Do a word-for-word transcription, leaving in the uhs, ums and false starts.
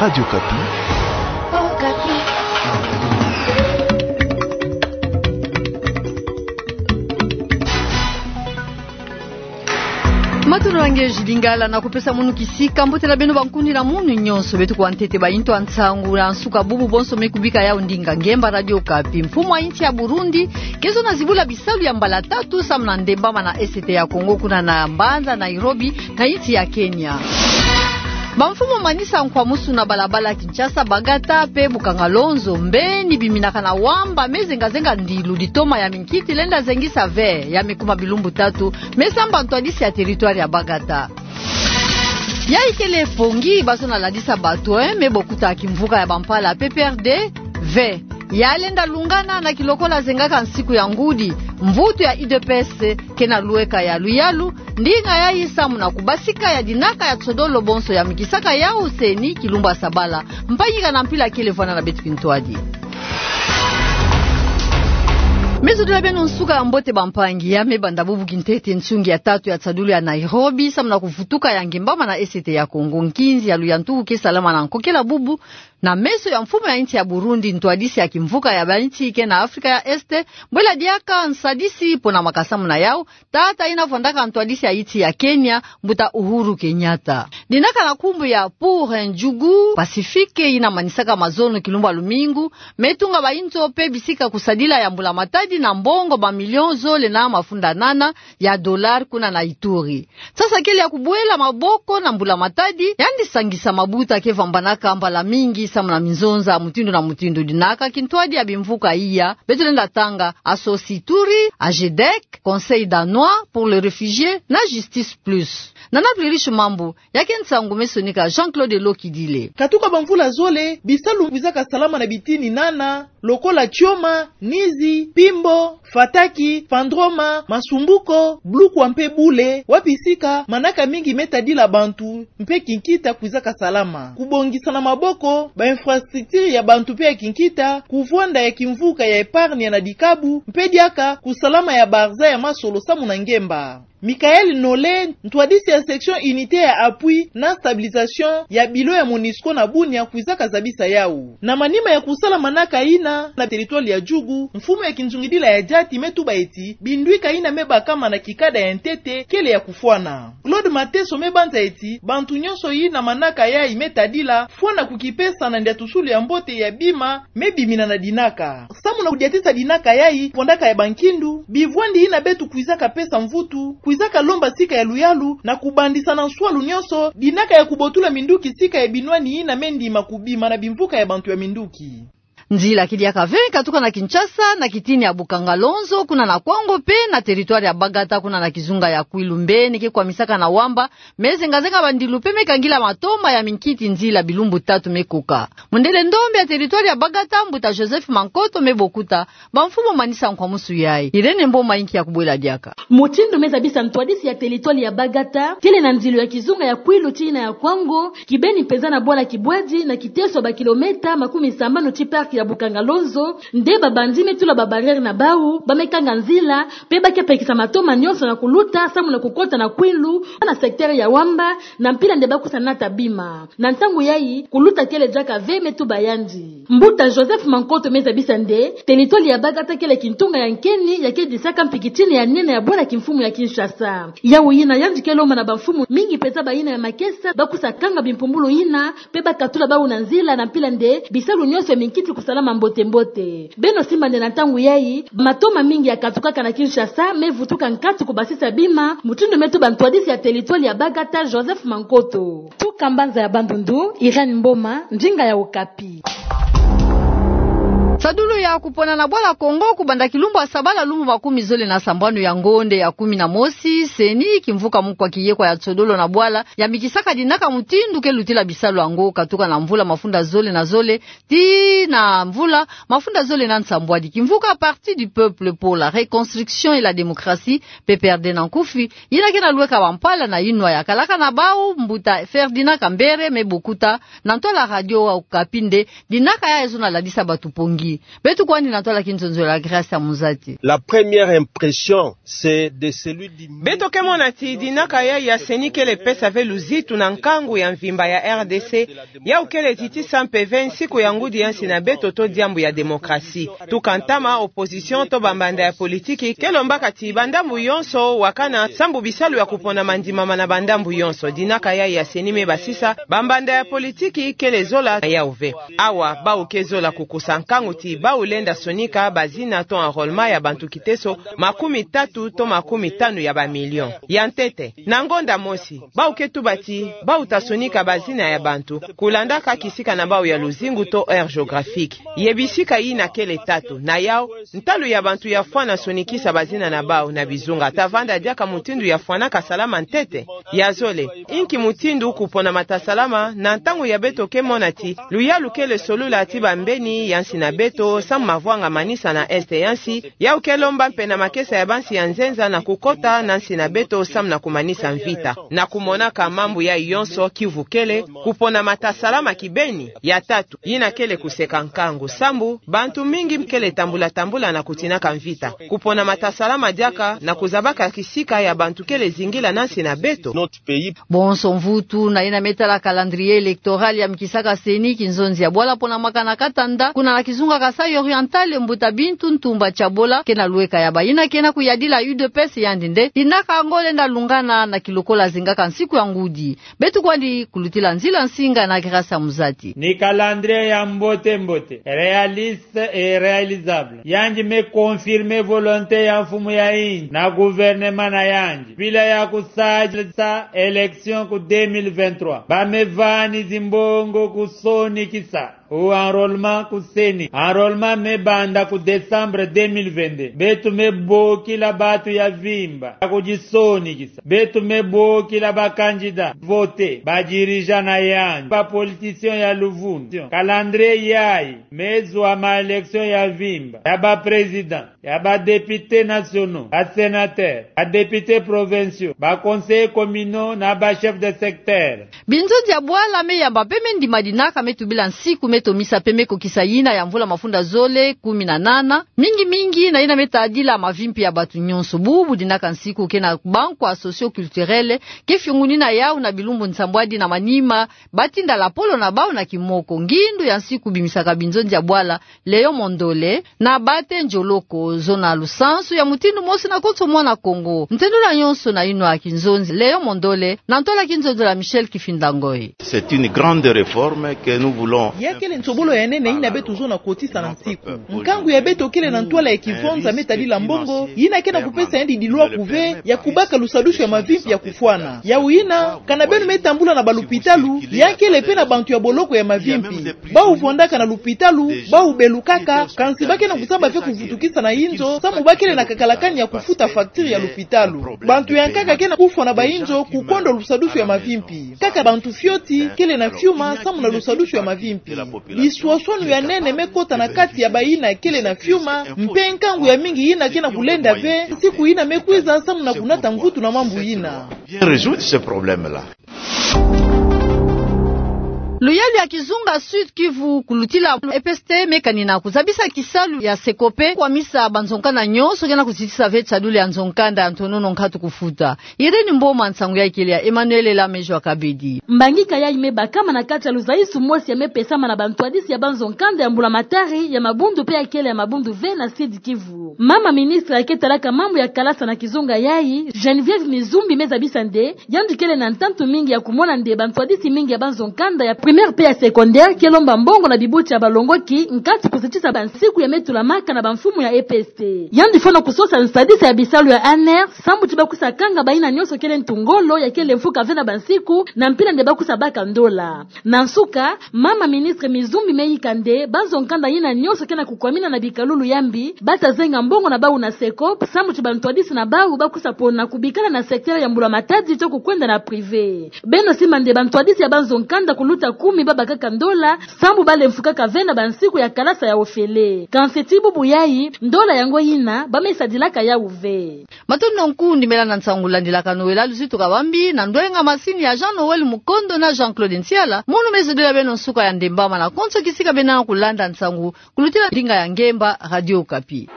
Radio Okapi. Matondo na nge Jules Lingala, na kupesa munu kisika. Mbote na beno bankundila munu nyonso. Beto kuwa ntete ba yintu ya nsangu na nsuka bubu bonso me kubika yawu ndinga ngemba Radio Okapi. Mfumu ya insi ya Burundi ke zona zibula bisalu ya mbala tatu samu na ndembama na Est ya Congo, kuna na mbanza Nairobi na insi ya Kenya. Bamfumu manisa nkwamusu na balabala Kinshasa, Bagata pe Bukangalonzo, mbeni biminaka na wamba me zenga-zenga ndilu, litoma ya minkiti lenda zengisa ve ya me kuma bilumbu tatu, me samba ntwadisi ya territoire ya Bagata. Yayi kele pongi ba zona ladisa bato, eh, me bokuta kimvuka ya bampala P P R D ve ya lenda lungana na kilokola zengaka nsiku ya ngudi. Mvutu ya U D P S ke na lweka ya luyalu ndinga yayi samu na kubasika ya dinaka ya tsodolo bonso ya mikisaka yawu CENI kilumbu ya sabala. Mpangi kana mpila kele vwanda na beto kintwadi. Me zodila beno nsuka ya mbote bampangi. Ya me banda bubu kintete nsungi ya tatu ya tsadulu ya Nairobi samu na kuvutuka ya ngembama na Est ya Congo. Nkinzi ya luyantuku ke salama na nkokela bubu na meso ya mfumu ya insi ya Burundi, ntwadisi ya kimvuka ya bainsi ke na Afrika ya Est, bwela diaka nsadisi pona makasamu na yawu tata yina vwandaka ntwadisi ya insi ya Kenya, mbuta Uhuru Kenyatta. Dinaka na nkumbu ya Pour un Djougou Pacifique, yina manisaka mazono kilumbu ya lumingu, me tunga bayinzo pe bisika kusadila ya mbula matadi na mbongo ba million zole na mafunda nana ya dollar kuna na Ituri. Sasa kele ya kubwela maboko na mbula matadi, yandi sangisa mabuta ke vwambanaka mbala mingi samu na minzonza mutindu na mutindu. Dinaka kintwadi ya bimvuka iya, beto lenda tanga: ASSOS Ituri, AGEDEC, Conseil danois pour les réfugiés na Justice Plus. Nana Plurish Mambu, ya ke nsangu me sonika Jean-Claude Lokidile. Katuka bamvula zole, bisalu kwizaka salama na bitini nana, lokola Tioma, Nizi, Pimbo, Fataki, Fandroma, Masumbuko, Blukwa mpe Bule, wapi sika manaka mingi me tadila bantu mpe kinkita kwizaka salama. Kubongisa na maboko ba infrastructure ya bantu mpe ya kinkita, kuvwanda ya kimvuka ya épargne na dikabu, mpe diaka kusalama ya barza ya masolo samu na ngemba. Michael Nole, ntwadisi ya section unité ya appui na stabilisation ya bilo ya MONUSCO na Bunia, kwizaka zabisa yawu. Na manima ya kusala manaka yina na territoire ya Djugu, mfumu ya kinzungidila ya diati me tuba ti bindwika yina me bakama na kikada ya ntete kele ya kufwana. Claude Mateso me banza ti bantu nyonso yina manaka yayi me tadila, fwana kukipesa na ndiatusulu ya mbote ya bima me bimina na dinaka. Samu na kudiatisa dinaka yayi, fondaka ya bankindu, bivwandi yina beto kwizaka pesa mvutu, kwizaka lomba sika ya luyalu, na kubandisa na nswalu nyonso dinaka ya kubotula minduki sika ya binwani yina me ndima kubima na bimvuka ya bantu ya minduki. Nzila ke diaka ve katuka na Kinshasa, na kitini ya Bukangalonzo, kuna na Kwango, mpe na territoire ya Bagata, kuna na kizunga ya Kwilu, mbeni ke kwamisaka na wamba me zenga-zenga bandilu mpe me kangila matoma ya minkiti nzila bilumbu tatu me koka. Mundele ndombe ya territoire ya Bagata, mbuta Joseph Mankoto, me bokuta bamfumu manisa nkwamusu yayi. Irène Mboma inki ya kubwela diaka. Mutindu me zabisa ntwadisi ya territoire ya Bagata, kele na nzilu ya kizunga ya Kwilu tii na ya Kwango, kibeni mpenza na bwala Kibwadi, na kiteso ya ba kilomètre makumi sambanu tii parc ya Bukangalonzo, nde babandi me tula ba barrière na bawu, ba me kanga nzila, mpe ba ke pekisa matoma nyonso na kuluta samu na kukota na Kwilu, na secteur ya wamba, na mpila nde ba kusa nata bima. Na ntangu yayi, kuluta kele diaka ve, me tuba yandi. Mbuta Joseph Mankoto me zabisa nde territoire ya Bagata kele kintunga ya nkeni ya ke disaka mpi kitini ya nene ya bwala kimfumu ya Kinshasa. Yawu yina yandi ke lomba na bamfumu mingi mpenza, bayina ya makesa, ba kusa kanga bimpumbulu yina, mpe ba katula bawu na nzila, na mpila nde bisalu nyonso ya minkiti kusalama mbote-mbote. Beno simba nde na ntangu yayi, matoma mingi ya katukaka na Kinshasa me vutuka nkatu kubasisa bima, mutindu me tuba ntwadisi ya territoire ya Bagata, Joseph Mankoto. Tuka mbanza ya Bandundu, Irène Mboma, ndinga ya Okapi. Sadulu ya kupona na bwala Kongo kubanda kilumbu ya sabala lumbu makumi zole na sambanu ya ngonde ya kumi na mosi, CENI, kimvuka mukwa kiyekwa ya tsodolo na bwala, yambikisaka dinaka mutindu ke lutila bisalu yango katuka na mvula mafunda zole na zole tii na mvula mafunda zole na nsambwadi. Kimvuka Parti du Peuple pour la Reconstruction et la Démocratie, P P R D na nkufi, yina ke na lweka bampala na yinwa ya kalaka na bawu, mbuta Ferdinand Kambere, me bokuta na ntwala Radio Okapi nde dinaka yayi zona ladisa bato pongi. Beto kwandi na ntwala kinzonzolo ya Grace ya Muzati. La première impression, c'est de celui du... Beto ke mona ti dinaka ya ya CENI kele pesa ve luzitu na nkangu ya mvimba ya R D C, yau kele titisa mpeve nsiku ya ngudi ya nsi na beto to diambu ya démocratie. Tuka ntama opposition to bambanda ya politiki ke lombaka ti bandambu yonso wakana sambu bisalu ya kupona mandimama na bandambu yonso. Dinaka ya ya CENI me basisa, bambanda ya politiki kele zola yau ve. Awa, bau ke zola kukusa nkangu ti bau lenda sonika bazina to enrôlement ya bantu kiteso makumi tatu to makumi tanu ya ba million. Ya ntete, na ngonda mosi, bau ke tuba ti bau ta sonika bazina ya bantu kulandaka kisika na bau ya luzingu to aire géographique. Ye bisika yina kele tatu, na yau, ntalu ya bantu ya fwana sonikisa bazina na bau na bizunga ta vanda diaka mutindu ya fwanaka salama ntete. Ya zole, inki mutindu kupona mata salama na ntangu ya beto ke mona ti luyalu kele solula ti bambeni ya nsi na beto samu mavwanga manisa na est ya nsi, yau ke lomba mpe na makesa ya bansi ya nzenza na kukota na nsi na beto samu na kumanisa mvita. Na kumonaka mambu yai yonso, Kivu kele kupona mata salama kibeni. Ya tatu, yina kele kuseka nkangu sambu bantu mingi kele tambula tambula na kutinaka mvita. Kupona mata salama diaka na kuzabaka kisika ya bantu kele zingila na nsi na beto. Bonso mvutu na yina me tala calendrier électoral ya mikisaka CENI, kinzonzi ya bwala pona mwaka na katanda kuna na kizunga Kasaï Oriental, mbuta Bintou Ntumba Tshabola ke na lueka ya ba yina ke na kuyadila U D P S yandi nde dinaka ngo lenda lungana na kilokola zingaka nsiku ya ngudi. Beto kwandi kulutila nzila nsinga na Grace ya Muzati. Ni calendrier ya mbote mbote, réaliste et réalisable. Yandi me confirmer volonté ya mfumu ya insi na gouvernement na yandi bila ya kusadisa élection ku deux mille vingt-trois. Ba me vani zimbongo kusonikisa ou enrôlement ku CENI. Enrôlement me banda ku décembre deux mille vingt-deux. Beto me bokila batu ya vimba ya kudisonikisa. Beto me bokila ba candidat voter, ba dirigeant na yandi, ba politicien ya luvunu. Calendrier yai me zwa ma élection ya vimba ya ba président, ya ba députés nationaux, ba sénateurs, ba députés provinciaux, ba conseillers communaux na ba chefs de secteur. Binzonzi ya bwala me yamba mpe me ndima dinaka me tubila nsiku me tomisa mpe me kokisa yina ya mvula mafunda zole kumi na nana, mingi mingi na yina me tadila mavimpi ya batu nyonso. Bubu dinaka nsiku ke na bankwa socio-culturel ke fiungunina yau na bilumbu nsambwadi na manima, ba tinda lapolo na bau na kimoko. Ngindu ya nsiku bimisaka binzonzi ya bwala Léon Mondole na Bate Njoloko, zona lusansu ya mutindu mosi na konso mwana Kongo. Ntendula nyonso na yinwa kinzonzi Léon Mondole na ntwala kinzonzolo ya Michel Kifinda Ngoy. C'est une grande réforme que nous voulons. Ya kele nsobolo ya nene yina beto zona kotisa na nsiku. Nkangu ya beto kele na ntwala ya kivonza me tadila mbongo yina ke na kupesa yandi dilwa kuve ya kubaka lusadusu ya mavimpi ya kufwana. Yau yina, kana beno me tambula na balupitalu, ya kele mpe na bantu ya boloko ya mavimpi. Bau vwandaka na lupitalu, bau belukaka, kansi ba ke na kusamba mpe kuvutukisa na yinzo samu ba kele na kakalakani ya kufuta facture ya lupitalu. Bantu ya nkaka ke na kufwa na bayinzo kukondo lusadusu ya mavimpi. Kaka bantu fioti kele na fiuma samu na lusadusu ya mavimpi. Biswaswanu ya nene me kota na kati ya bayina kele na fiuma, mpe nkangu ya mingi yina ke na kulenda ve nsiku yina me kwiza samu na kunata mvutu na mambu yina. Bien résoudre ce problème-là. Luyalu ya kizunga Sud-Kivu kulutila E P S T me kanina kuzabisa kisalu ya SECOPE, kwamisa banzo-nkanda nyonso ke na kuzitisa ve tisadulu ya nzo-nkanda ya ntonono nkatu kufuta. Irène Mboma, nsangu yai kele ya Emmanuel Elamejo Akabedi. Mbangi kayai me bakama na kati ya luzayisu mosi ya me pesama na bantwadisi ya banzo-nkanda ya mbula-matari ya mabundu mpe ya kele ya mabundu ve na Sud-Kivu. Mama ministre ya ke talaka mambu ya kalasa na kizunga yai, Geneviève Mizumbi, me zabisa nde yandi kele na ntantu mingi ya kumona nde bantwadisi mingi ya banzo-nkanda ya primaire mpe ya secondaire ke lomba mbongo na bibuti ya balongoki nkatu kuzitisa bansiku ya me tulamaka na bamfumu ya E P S T. Yandi fwana kusosa nsadisa ya bisalu ya ANR, samu ti ba kwiza kanga bayina nyonso kele ntu ngolo ya kele mfuka ve na bansiku, na mpila nde ba kwiza baka ndola. Na nsuka, mama ministre Mizumbi me yika nde banzo-nkanda yina nyonso ke na kukwamina na bikalulu ya mbi, ba ta zenga mbongo na bau na SECOPE, samu ti bantwadisi na bau ba kwiza pona kubikala na secteur ya mbula-matadi to kukwenda na privé. Beno simba nde bantwadisi ya banzo-nkanda kuluta Kumi babakaka ndola, sambu balemfukaka ve na bansiku ya kalasa ya ofele. Kansi ti bubu yayi, ndola yango yina, bamesandilaka yawu ve. Matondo nkundi melana nsangu landilaka Noël Luzitu Kabambi, na ndwenga masini ya Jean Noël Mukondo na Jean-Claude Ntiala, mono mezodila beno nsuka ya ndemba mana konso kisika beno kulanda nsangu, kulutila ndinga ya ngemba, Radio Okapi.